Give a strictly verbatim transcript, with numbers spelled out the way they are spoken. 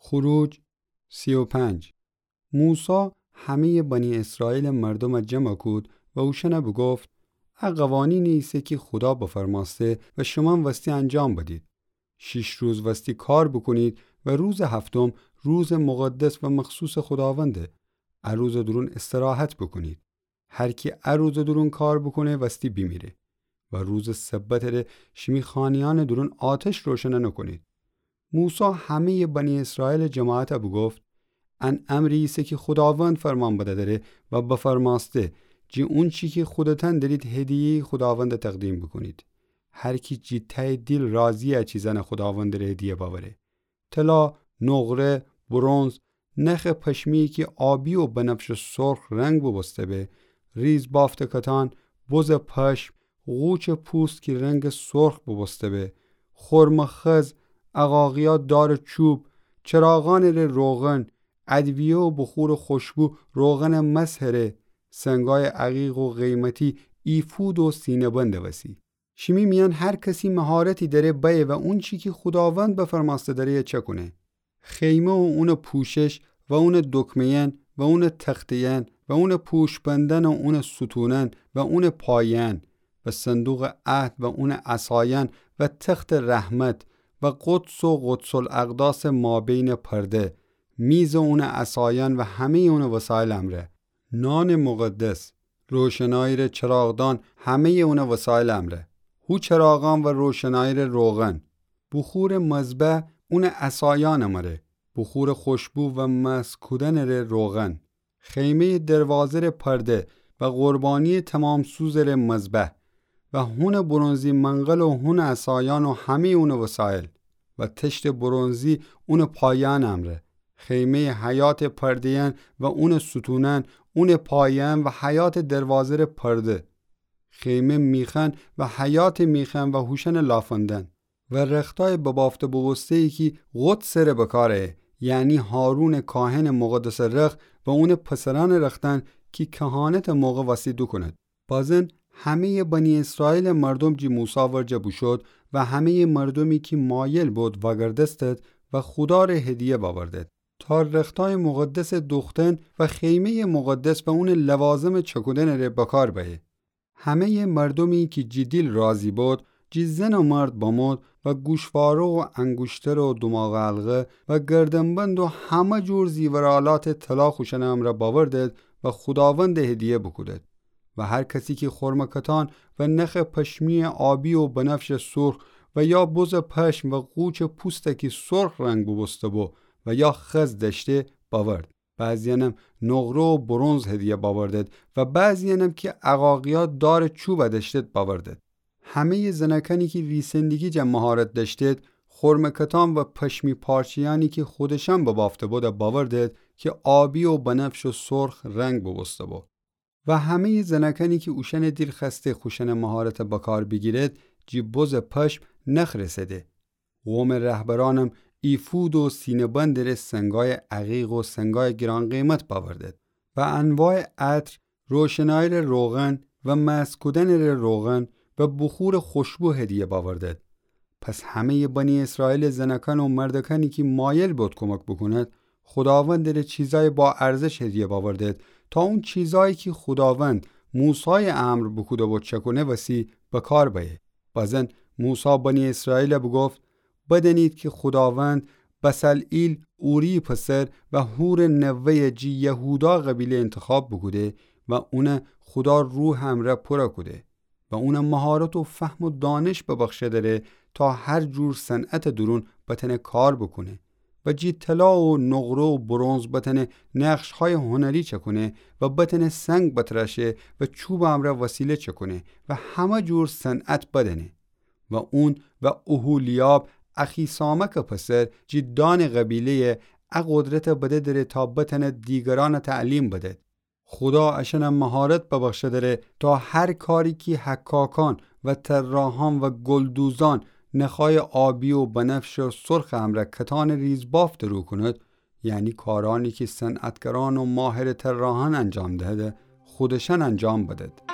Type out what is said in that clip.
خروج سی و پنج. موسی همه‌یٚ بنی اسرائیلٚ مردومَ جمع کود و اوشأنَ بوگفت: ا قوانینی ایسه کی خودا بفرمأسته و شومأن وستی انجام بدید. شیش روز وستی کار بوکونید و روزٚ هفتم روزٚ مقدس و مخصوصٚ خوداونده. ا روزٚ دورون استراحت بوکونید. هر کی ا روزٚ دورون کار بوکونه، وستی بیمیره. و روزٚ سبتٚ ره شیمی خانه‌یأنٚ دورون آتش روشن نوکونید. موسی همه‌یٚ بنی اسرائیلٚ جماعتَ بوگفت: ان امری ایسه کی خوداوند فرمان بده‌دره و بفرمأسته، جی اونچی کی خودتأن درید هدیه‌یی خوداوندَ تقدیم بوکونید. هر کی جی ته‌یٚ دیل راضی‌یه ا چیزأنَ خوداوندٚ ره هدیه بأوره. طلا، نقره، برنز، نخٚ پشمی‌یی کی آبی و بنفش و سرخ رنگ بوبوسته به، ریزبافت کتان، بزٚ پشم، قوچٚ پوست کی رنگٚ سرخ بوبوسته به، خرمٚ خز، عقاقیا دارٚ چوب، چراغأنٚ ره روغن، ادویه و بخورٚ خوشبو روغنٚ مسحٚ ره، سنگایٚ عقیق و قیمتی، ایفود و سینه‌بندٚ وسی. شیمی میأن هر کسی مهارتی دأره بأیه و اونچی کی خوداوند بفرمأسته دأره‌یَ چأکونه. خیمه و اونٚ پوشش و اونٚ دکمه‌یأن و اونٚ تخته‌یأن و اونٚ پوشبندأن و اونٚ ستونأن و اونٚ پایه‌یأن و صندوقٚ عهد و اونٚ عصایأن و تختٚ رحمت و قدس و قدس الاقداسٚ مابینٚ پرده، میز و اونٚ عصایأن و همه‌یٚ اونٚ وسایلٚ امرأ. نانٚ مقدس، روشنایی ره چراغدان، همه‌یٚ اونٚ وسایلٚ امرأ. هو چراغأن و روشنایی ره روغن. بخورٚ مذبح، اونٚ عصایأنٚ مره. بخورٚ خوشبو و مسح کودنٚ ره روغن. خیمه‌یٚ دروازه ره پرده و قربانی‌یٚ تمام‌سوزٚ ره مذبح و هونٚ برنزی منقل و هونٚ عصایأن و همه‌یٚ اونٚ وسایل و تشتٚ برنزی اونٚ پایه‌یأنٚ امرأ. خیمه‌یٚ حیاطٚ پرده‌یأن و اونٚ ستونأن، اونٚ پایه‌یأن و حیاطٚ دروازه ره پرده. خیمه میخأن و حیاطٚ میخأن و هوشأنٚ لافندأن. و رختایٚ ببافته بوبوسته‌یی کی قدسٚ ره بکار أیه، یعنی هارونٚ کاهنٚ مقدسٚ رخت و اونٚ پسرأنٚ رختأن کی کهانتٚ موقع وستی دوکونید. بازین همه‌یٚ بنی اسرائیلٚ مردوم جی موسی ورجه بوشود و همه‌یٚ مردومی کی مایل بود وأگردستید و خودا ره هدیه بأوردید تا رختایٚ مقدسٚ دوختن و خیمه‌یٚ مقدس و اونٚ لوازمٚ چأکودنٚ ره بکار بأیه. همه‌یٚ مردومی کی جی دیل راضی بود، جی زن و مرد بمود و گوشواره و انگوشتر و دوماغٚ حلقه و گردنبند و همه جور زیورآلاتٚ طلا خوشأنٚ امرأ بأوردید و خوداوند هدیه بوکودید. و هر کسی کی خرمٚ کتان و نخٚ پشمی‌یٚ آبی و بنفشٚ سرخ و یا بزٚ پشم و قوچٚ پوست کی سرخ رنگ بوبوسته‌بو و یا خز دأشته بأورد. بعضی‌یأنم نقره و برنز هدیه بأوردید و بعضی‌یأنم کی عقاقیا دارٚ چوب دأشتید بأوردید. همه‌یٚ زنأکأنی کی ریسندگی جا مهارت دأشتید، خرمٚ کتان و پشمی پارچه‌یأنی کی خودشأن ببافته‌بود بأوردید کی آبی و بنفش و سرخ رنگ بوبوسته‌بو. و همه‌یٚ زنأکأنی کی اوشأنٚ دیل خوأسته خوشأنٚ مهارت بکار بیگیرید، جی بزٚ پشم نخ رسده. قومٚ رهبرأنم ایفود و سینه‌بندٚ ره سنگایٚ عقیق و سنگایٚ گران‌قیمت بأوردید و انواعٚ عطر، روشنایی ره روغن و مسح کودنٚ ره روغن و بخورٚ خوشبو هدیه بأوردید. پس همه‌یٚ بنی اسرائیلٚ زنأکأن و مردأکأنی کی مایل بود کمک بوکونید، خوداوندٚ ره چیزایٚ با ارزش هدیه بأوردید، تا اون چیزایی کی خوداوند موسایٚ امر بوکوده‌بو چأکونه وسی بکار بأیه. بازین موسی بنی اسرائیل بوگفت: بدأنید کی خوداوند بصلئیل اوری‌یٚ پسر و هورٚ نوه‌یٚ جی یهودا قبیله اینتخاب بوکوده و اون خودا روحٚ امرأ پورَ کوده و اون مهارت و فهم و دانش ببخشه‌دره تا هر جور صنعتٚ دورون بتأنه کار بوکونه و جی طلا و نقره و برنز بتأنه نقش‌هایٚ هنری چأکونه و بتأنه سنگ بتراشه و چوبٚ امرأ وسیله چأکونه و همه جور صنعت بدأنه. و اون و اوهولیاب اخیسامکٚ پسر جی دانٚ قبیله‌یٚ ا قدرت بده‌دره تا بتأنه دیگرأن تعلیم بدید. خودا اشأن مهارت ببخشه‌دره تا هر کاری کی حکاکأن و طراحأن و گلدوزأن نخایٚ آبی و بنفشٚ سرخٚ امرأ کتانٚ ریزبافت رو کونید، یعنی کارأنی کی صنعتگرأن و ماهرٚ طراحأن انجام دهده، خودشأن انجام بدید.